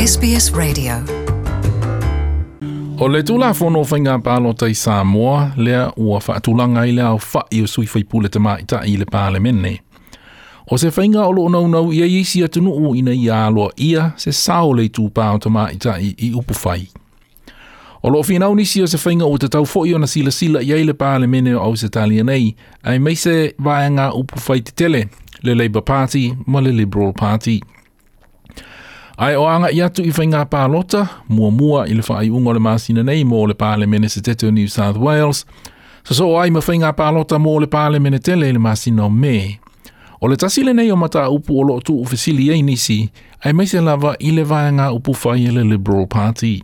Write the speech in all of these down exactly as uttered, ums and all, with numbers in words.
S B S Radio. O le Tulafono o Faiga Palota i Samoa lea ua faatulaga ai le aofa'i o sui faipule tamaitai i le Palemene. O se faiga o loo naunau i ai isi atunuu ina ia aloaia se sao o le itupā o tamaitai i upufai. O loo finau nisi o se faiga ua tatau foi ona silasila i ai le Palemene o Ausetalia nei, aemaise vaega upufai tetele, le Labour Party ma le Liberal Party. Ae o aga'i atu i faiga palota muamua i le faaiuga o le masina nei mo le Palemene Setete o New South Wales, sosoo ai ma faiga palota mo le Palemene tele i le masina o Me. O le tasi lenei o mataupu o loo tuufesili ai nisi, aemaise lava i le vaega upufai e le Liberal Party.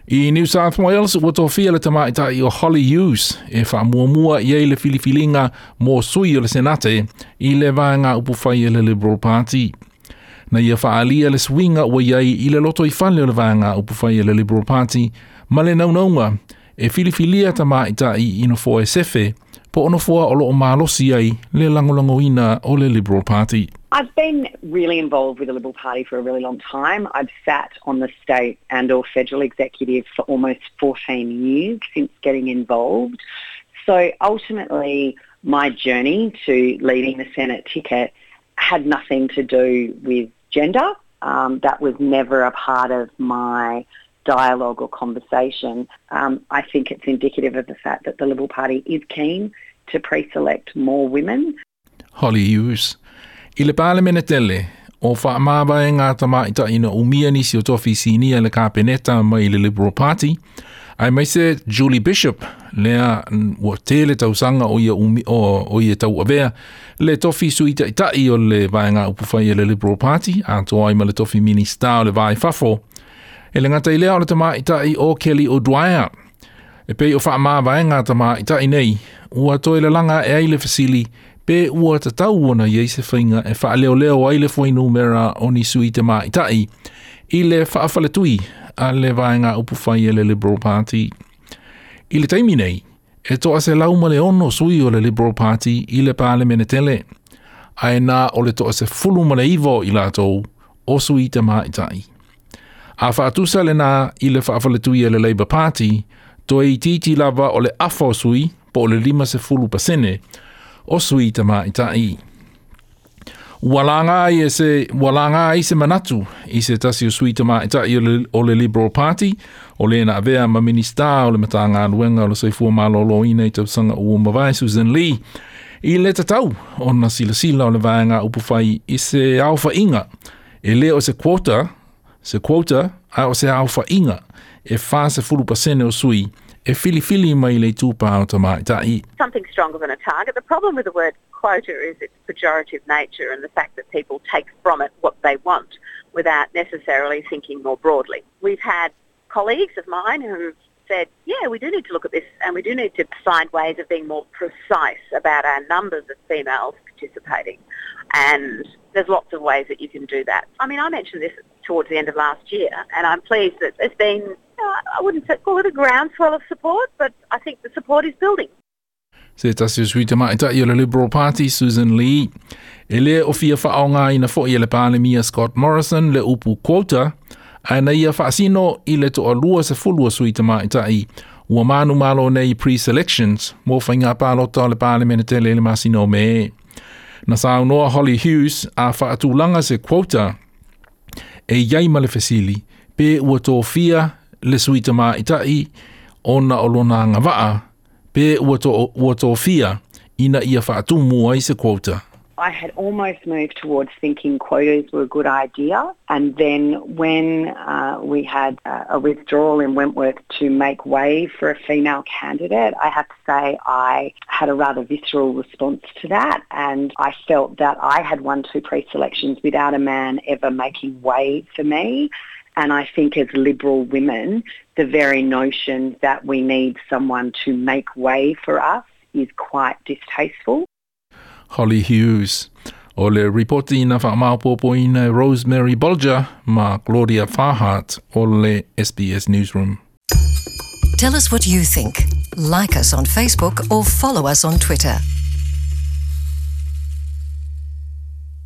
I New South Wales ua tofia le tamaitai o Holly Hughes e faamuamua i ai le filifiliga mo sui o le Senate i le vaega upufai e le Liberal Party. Na ia faaalia le suiga ua i ai i le lotoifale o le vaega upufai e le Liberal Party ma le naunauga e filifilia tamaitai i nofoa e sefe po o nofoa o loo malosi ai le lagolagoina o le Liberal Party. I've been really involved with the Liberal Party for a really long time. I've sat on the state and or federal executive for almost fourteen years since getting involved. So ultimately, my journey to leading the Senate ticket had nothing to do with gender. Um, that was never a part of my dialogue or conversation. Um, I think it's indicative of the fact that the Liberal Party is keen to pre-select more women. Holly Hughes. I le Palemene tele, o faamavaega tamaitai na umia nisi o tofi sinia le kapeneta mai le Liberal Party, aemaise Julie Bishop, lea ua tele tausaga o ia, umi, o, o ia tauavea le tofi sui taitai o le vaega upufai e le Liberal Party, atoa ai ma le tofi minista o le Va i Fafo. E le gata i lea o le tamaitai o Kelly O'Dwyer. E pei o faamavaega tamaitai nei, ua toe lalaga e ai le fesili pe ua tatau ona i ai se faiga e faaleoleo ai le fuainumera o ni sui tamaitai i le faafaletui a le vaega upufai e le Liberal Party. I le taimi nei, e toaselau ma le ono sui o le Liberal Party i le Palemene tele, ae na o le toasefulu ma le iva o i latou o sui tamaitai. A faatusa lena i le faafaletui e le Labour Party, toe itiiti lava o le afa o sui, po o le lima sefulu pasene, o sui tamaitai. Ua laga ai e se, ua laga ai se manatu i se tasi o sui tamaitai o le, o le Liberal Party, o le na avea ma minista o le Matagaluega o le Soifua Maloloina i tausaga ua mavae, Susan Lee, i le tatau ona silasila o le vaega upufai i se aofaiga. E le o se quota, se quota, a o se aofaiga e fa sefulu pasene o sui e filifili mai le itupā o tamaitai. Something stronger than a target. The problem with the word quota is its pejorative nature and the fact that people take from it what they want without necessarily thinking more broadly. We've had colleagues of mine who've said, "Yeah, we do need to look at this and we do need to find ways of being more precise about our numbers of females participating." And there's lots of ways that you can do that. I mean, I mentioned this towards the end of last year, and I'm pleased that there's been, I wouldn't call it a groundswell of support, but I think the support is building. Se tasi o sui tamaitai o le Liberal Party, Susan Lee. E le o fia faaaogaina foi e le Palemia Scott Morrison le upu quota, ae na ia faasino i le toalua sefulu o sui tamaitai ua manumalo nei pre-selections mo faiga palota o le Palemene tele i le masina o Me. Na saunoa Holly Hughes a faatulaga se quota e i ai ma le fesili pe ua tofia le sui tamaitai ona o lona agavaa pe ua, to, ua tofia ina ia faatumu ai se quota. I had almost moved towards thinking quotas were a good idea. And then when uh, we had uh, a withdrawal in Wentworth to make way for a female candidate, I have to say I had a rather visceral response to that. And I felt that I had won two pre-selections without a man ever making way for me. And I think as Liberal women, the very notion that we need someone to make way for us is quite distasteful. Holly Hughes. O le ripoti na faamaopoopoina Rosemary Bolger ma Claudia Farhart o le S B S Newsroom. Tell us what you think. Like us on Facebook or follow us on Twitter.